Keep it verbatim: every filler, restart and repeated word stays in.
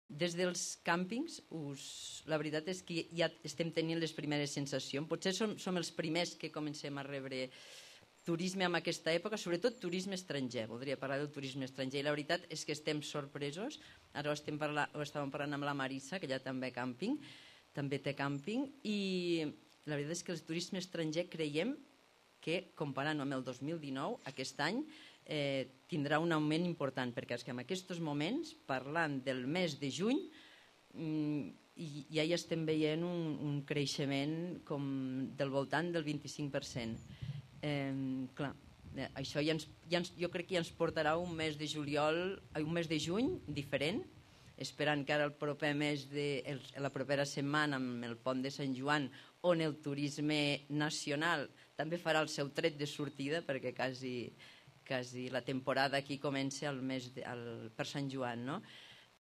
des dels càmpings, us, la veritat és que ja estem tenint les primeres sensacions. Potser som, som els primers que comencem a rebre turisme en aquesta època, sobretot turisme estranger. Voldria parlar del turisme estranger. I la veritat és que estem sorpresos. Ara ho, estem parla, ho estàvem parlant amb la Marissa, que ja també càmping, també té càmping, i la veritat és que el turisme estranger creiem que, comparant-ho amb el dos mil dinou, aquest any eh, tindrà un augment important, perquè és que en aquests moments, parlant del mes de juny, mm, ja hi estem veient un, un creixement com del voltant del vint-i-cinc per cent. Eh, clar, eh, això ja ens, ja ens, jo crec que ja ens portarà un mes de juliol, un mes de juny diferent, esperant que ara el proper mes de, el, la propera setmana amb el pont de Sant Joan, on el turisme nacional també farà el seu tret de sortida, perquè quasi, quasi la temporada aquí comença el mes de, el, per Sant Joan, no?